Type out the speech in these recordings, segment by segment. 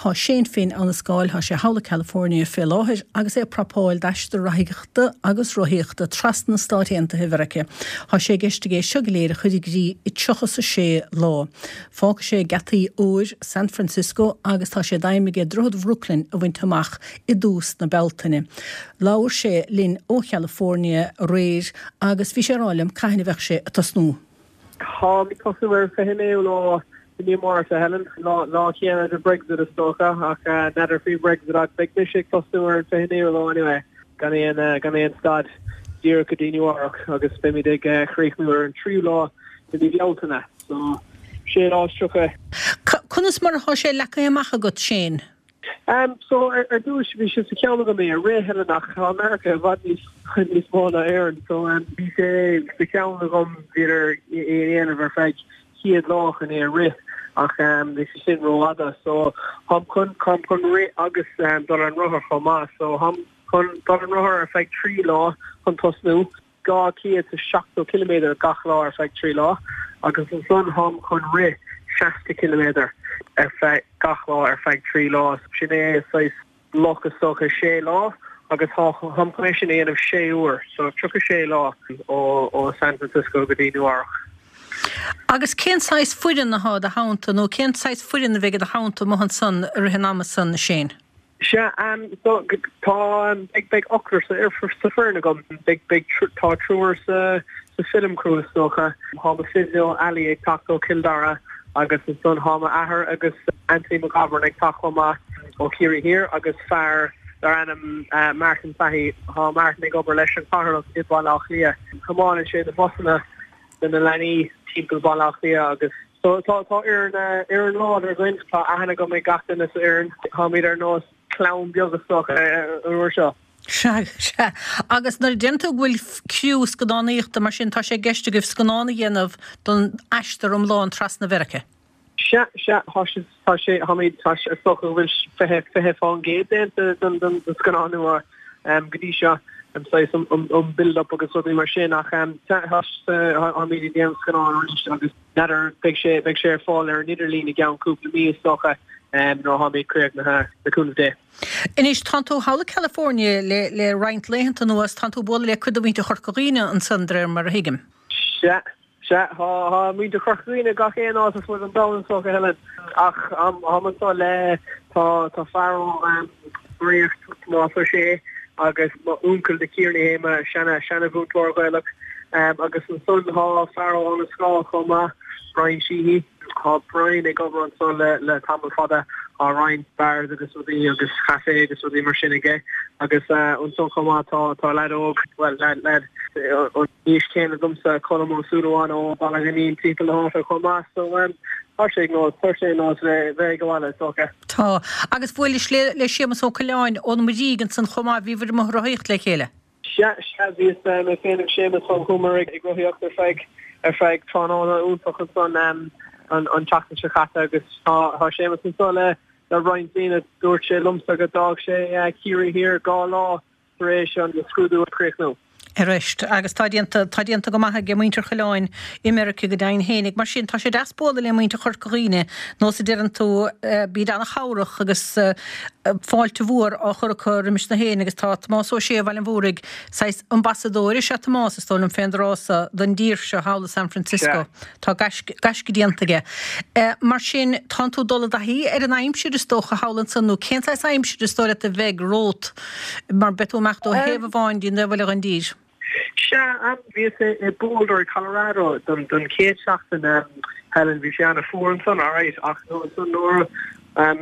Tá Shane Finn Abhann an Scáil, tá sé thall i California fé láthair agus é ag prapáil d'aistear reathaíochta agus rothaíochta trasna Stáit Aontaithe Mheiriceá. Tá sé i gceist aige é seo go léir a chur i gcrích i 36 lá. Fágfaidh sé geataí óir San Francisco agus tá sé d'aidhm aige Droichead Bhrooklyn a bhaint amach i dtús na Bealtaine. Labhair sé linn ó Chalifornia aréir agus bhí sé ag rá liom cathain a bheadh sé ag tosnú. Táim ag tosnú ar an 29ú lá de mí Márta, a Helen. Lá chéanna de Brexit is dócha, ach n'fheadar faoi Brexit ach beidh mise ag tosnú ar an 29ú lá anyway, gan aon gan aon stad, díreach go dtí Nua-Eabhrac agus beimid ag críochnú ar an tríú lá de mí Bealtaine, so sé lá is 30. Conas mar atá sé leagtha amach agat, Shane? Em, so, ar, ar dtúis, bhí sé sa cheann agam é a rith, Helen, ach tá America i bhfad níos, níos mó ná Éirinn, so, em, bhí sé sa cheann agam, b'fhéidir, é a dhéanamh ar feadh chéad lá chun é a rith, ach, em, bhí sé sin rófhada, so, táim chun, táim chun rith agus, em, dul ar an rothar chomh maith, so, táim chun dul ar an rothar ar feadh 3 lá chun tosnú. 270 ciliméadar gach lá ar feadh 3 lá agus ansan táim chun rith 60 ciliméadar ar feadh gach lá ar feadh 3 lá. Sin é saghas bloc is dócha 6 lá agus táim chun é sin a dhéanamh 6 uair, so 36 lá ó San Francisco go dtí Nua Eabhrac. Agus cén saghas foireann athá i do theannta nó cén saghas foireann a bheidh i do theannta amuigh ansan i rith an ama san, Shane? Sea, so, tá, beidh, beidh ochtar sa, sa foireann agam. Beidh, beidh, tá triúr sa, sa film crew is dócha. Tá mo physio Ali ag teacht ó Chill Dara agus ansan tá m'athair agus Anthony McGovern ag teacht chomh maith ó Chiarraí Thiar agus fear dar ainm Martin Fahy. Tá Martin ag obair leis an Chathaoirleach i Baile Átha Cliath. Tiomáineann sé na busanna do na leanaí timpeall Baile Átha Cliath agus So tá tá fhoireann fhoireann láidir againn. Tá aithne agam ag gach duine sa fhoireann. Táimid ar nós clann beag is dócha an uair seo. Sea, sea. Agus nuair a deireann tú go bhfuil criú scannánaíochta mar sin, tá sé i gceist agaibh scannán a dhéanamh don aistear iomlán trasna Mheiriceá? Sea, sea. Tá sé, tá sé, táimid, tá sé, is dócha go bhfuil 20, 20% déanta den, den, den scannán nua go dtí seo, saghas an, an, an build up agus rudaí mar sin ach sea, tá, táimid ag déanamh scannán arís agus N'fheadar, beidh sé, beidh sé ar fáil ar an idirlíon i gceann cúpla mí is dócha, nuair atháimid críochnaithe, le cúnamh Dé. Anois, tánn tú thall i California le, le roinnt laethanta anuas, tánn tú ag bualadh le cuid de mhuintir Chorca Dhuibhne ansan, de réir mar a thuigim. Sea, sea, tá, tá muintir Chorca Dhuibhne gach aon áit ar fud an domhain is dócha, Helen, ach táim anso le, tá, tá fear ó Ríocht, Tomás Ó Sé, agus m'uncail The Kearney é, mo seana, seana-mhúinteoir Gaelach. Agus ansan tá fear ó Abhainn an Scáil chomh maith, Brian Sheehy. Tá Brian ag obair anso le, le tamall fada. Tá roinnt bars agus rudaí agus café agus rudaí mar sin aige. Agus ansan chomh maith tá, tá leaid óg, bhuel, leaid, leaid an aois chéanna domsa, Colm Ó Súilleabháin ó Bhaile Ghainín timpeall na háite chomh maith. So, tá sé ar nós, tá sé ar nós bheith, bheith ag baile is dócha. Tá. Agus bhuailis le, le Séamus Ó Coileáin ón Muirígh ansan chomh maith, bhíobhair amuigh ag rothaíocht le chéile. Sea, sea, bhíos, mé féin agus Séamus, chuamar ag rothaíocht ar feadh, ar feadh tráthnóna iontach ansan an, an tseachtain seo caite agus tá, tá Séamus anso le, le roinnt daoine. Dúirt sé liomsa go d'fhág sé Ciarraí Thiar dhá lá tar éis an scrúdú a chríochnú. Arís, agus tá déanta, tá déanta go maith aige muintir Choileáin i Meirice go deimhin fhéinig. Mar sin, tá sé deas bualadh le muintir Chorca Dhuibhne, nós a deireann tú, bíd ana-chabhrach agus fáilte mhór á chur acu roimis na héinne agus tá Tomás Ó Sé ó Bhaile an Mhúraigh, saghas ambasadóir is ea Tomás, is dóigh liom fén dtráth so, don dtír seo thall i San Francisco. Tá gaisce, gaisce déanta aige. Mar sin, tánn tú ag dul i dtaithí ar an aimsir is dócha thall ansan nó cén saghas aimsir is dóigh leat a bheidh romhat? Mar beidh tú ag imeacht ó thaobh amháin dtí an taobh eile den dtír. Sea, bhíos i Boulder i Colorado don chéad seachtain, Helen, bhí sé an-fhuar ansan, alright, ach ansan nuair a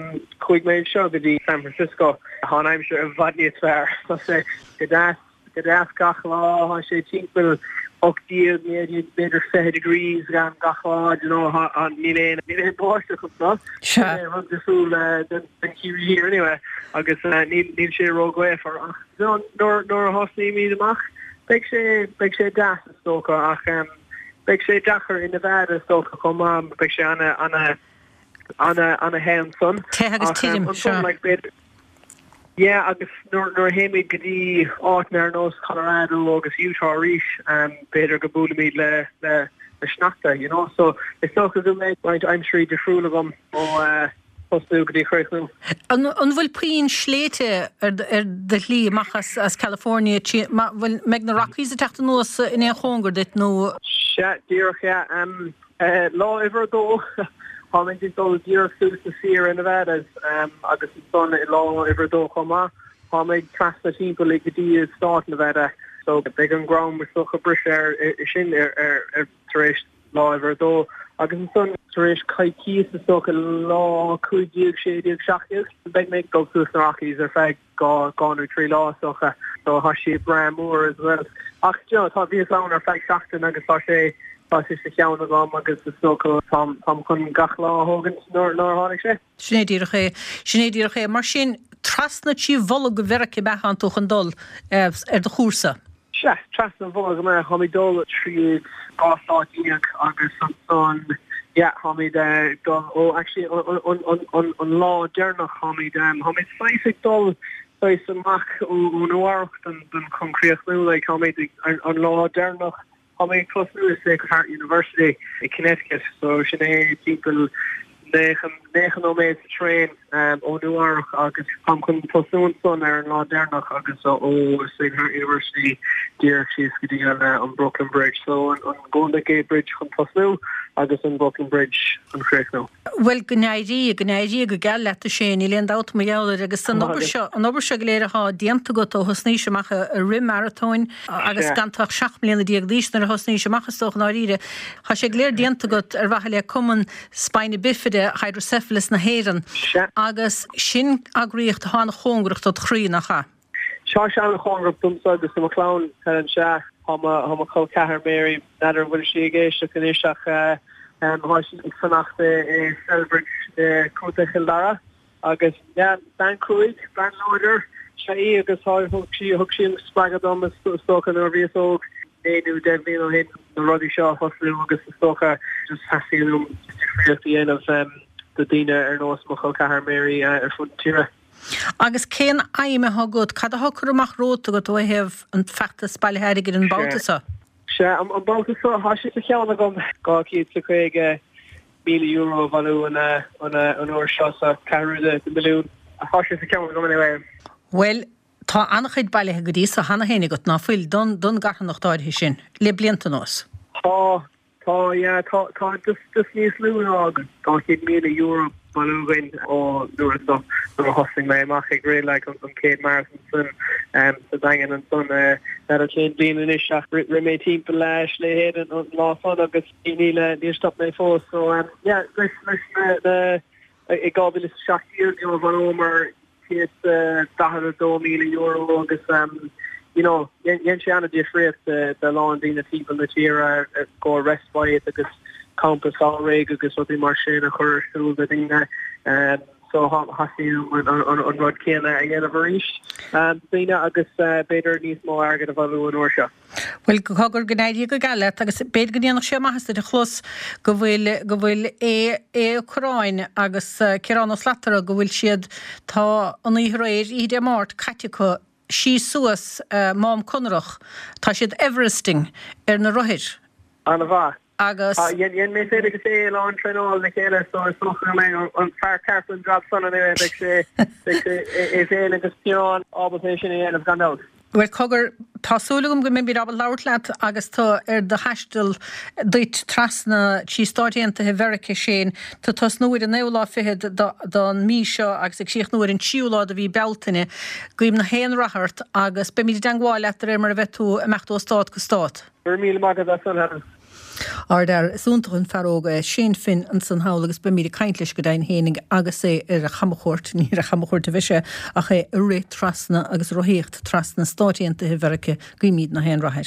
chuaigh mé anseo go dtí San Francisco, tá an aimsir i bhfad níos fearr. Tá sé go deas. Go deas gach lá, tá sé timpeall 18, 19, b'fhéidir 20 degrees gach lá, do you know, níl aon, níl aon báisteach anseo. Sin é rud difriúil den Ciarraí Thiar anyway agus níl, níl sé ró-ghaofar ach you know, nuair, nuair a thosnaímid amach beidh sé, beidh sé deas is dócha ach beidh sé deacair i Nevada is dócha chomh maith, beidh sé ana, ana, ana, ana the ansan. Te agus tirim, sea. Like, b'fhéidir, Yeah agus nuair nuair a théimid go dtí áiteanna ar nós Colorado agus Utah arís b'fhéidir go mbuailfimid le le le sneachta you know so is dócha go mbeidh roinnt aimsirí difriúil agam ó. Tosnú go dtí críochnú. An bhfuil puinn sléibhte ar do shlí amach as California? Bhfuil, mbeidh na Rockies ag teacht anuas in aon chóngar duit nó? Sea, díreach, yeah. Lá uimhir a dó, táimid ag dul díreach suas na Sierra Nevadas agus ansan i lá uimhir a dó chomh maith, táimid trasna timpeall go dtí stát Nevada. So beidh an greim is dócha briseadh air sin ar tar éis lá uimhir a dó, agus ansan tar éis coicíos is dócha lá 15, 16, 17, beidh mé ag dul suas na Rockies ar feadh 2 nó 3 lá is dócha, so tá sé breá mór as well. Ach you know tá bhíos ann ar feadh seachtain agus tá sé tá sé sa cheann agam agus is dócha táim táim chun gach lá a thógaint nuair nuair a tháinig sé. Sin é díreach é. Sin é díreach é. Mar sin, trasna trí bholg Mheiriceá ab ea tánn tú chun dul ar do chúrsa? Sea, trasna an bholg ab ea. Táimid dul tríd 12 stát agus ansan, yeah, táimid ag dul, ó actually an lá deireanach táimid, táimid saghas ag dul saghas amach ó Nua Eabhrac don chun críochnú, like táimid an lá deireanach Tá mé ag tosnú i Sacred Heart University i Connecticut so sin é timpeall 90 nóiméad sa traein ó Nua Eabhrac agus táim chun tosnú ansan ar an lá deireanach agus ó Sacred Heart University díreach síos go dtí an Brooklyn Bridge so an Golden Gate Bridge chun tosnú agus an Brooklyn Bridge chun críochnú. Bhuel, go n-éirí, go n-éirí go geal leat a Shane, níl aon dabht mar gheall air agus an obair seo, an obair seo go léir atá déanta agat ó thosnaís amach ag rith maratóin agus gan tú ach 17 mbliana d'aois nuair a thosnaís amach is dócha i ndáiríre, tá sé go léir déanta agat ar mhaithe le Cumann Spina Bifida Hydrocephalus na hÉireann agus sin eagraíocht atá an-chóngarach dod chroí, nach ea? Tá sé an-chóngarach domsa agus do mo chlann, Helen, sea. Tá mo chol ceathar Mary, n'fheadar an bhfuil sí ag éisteacht anois ach tá sí ag fanacht i Celbridge i Contae Chill Dara agus yeah, bean cruaidh, bean láidir is ea í agus thug sí thug sí an spreagadh dom is dócha nuair a bhíos óg, 9 nó 10 bhliain ó shin, na rudaí seo a thosnú agus is dócha just theastaíonn uaim difríocht a dhéanamh do daoine ar nós mo chol ceathar Mary ar fud na tíre. Agus cén aidhm atá agat, cad atá curtha amach romhat agat ó thaobh an feachtas bailithe airgid an babhta seo? Sea, an babhta seo, tá sé sa cheann agam €250,000 a bhailiú an uair seo, so ceathrú de mhilliún. Tá sé sa cheann agam anyway. Bhuel, tá an-chuid bailithe go dtí so cheana féin agat, ná fuil, don gcarthanacht áirithe sin, le blianta anuas? Tá, Tá, yeah, tá, tá just, just níos lú ná €200,000 bailithe againn ó nuair a stop, nuair a thosaigh mé amach ag rith like an chéad marathon san sa Daingean ansan n'fheadar cén bliain anois ach rith mé timpeall Sliabh Éadain an lá san agus níl, níor stop mé fós so yeah, leis, leis na, na, i 2017 you know bhailíomar €142,000 agus you know dhein sé an-difríocht do a lán daoine timpeall na tíre i gcomhair respite agus campa samhraidh agus rudaí mar sin a chur ar siúl do daoine so theastaigh uaim an rud céanna a dhéanamh arís do daoine agus b'fhéidir níos mó airgid a bhailiú an uair seo. Bhuel, cogar, go n-éirí go geal leat agus b'fhéidir go ndéanfadh sé maitheas duit a chlos go bhfuil, go bhfuil Aodh, Aodh Ó Curráin agus Ciarán Ó Slatara, go bhfuil siad, tá an oíche aréir, oíche Dé Máirt, caite acu síos suas Mám Conrach, tá siad Everesting ar na rothair. An-mhaith. Agus. Dhein mé féin agus é a lán traenáil le chéile so is dócha go mbeidh an fear ceart don jab san anyway, beidh sé, beidh sé, é féin agus Ciarán ábalta é sin a dhéanamh gan dabht. Bhuel cogar, tá súil agam go mbeimid ábalta labhairt leat agus tú ar do thaisteal duit trasna trí Stáit Aontaithe Mheiriceá, Shane. Tú ag tosnú ar an naoú lá fichead don mí seo agus ag críochnú ar an tríú lá de mhí Bealtaine. Guím na haon rath ort agus beimid i dteangmháil leat de réir mar a bheidh tú ag imeacht ó stát go stát. Go raibh míle maith agat as san, Helen. Ardfhear, is iontach an fear óg é Shane Finn ansan thall agus beimid ag caint leis go deimhin fhéinig agus é ar a chamchuairt, ní ar a chamchuairt a bheidh sé ach é ag rith trasna agus ag rothaíocht trasna Stáit Aontaithe Mheirice, guímid na haon rath air.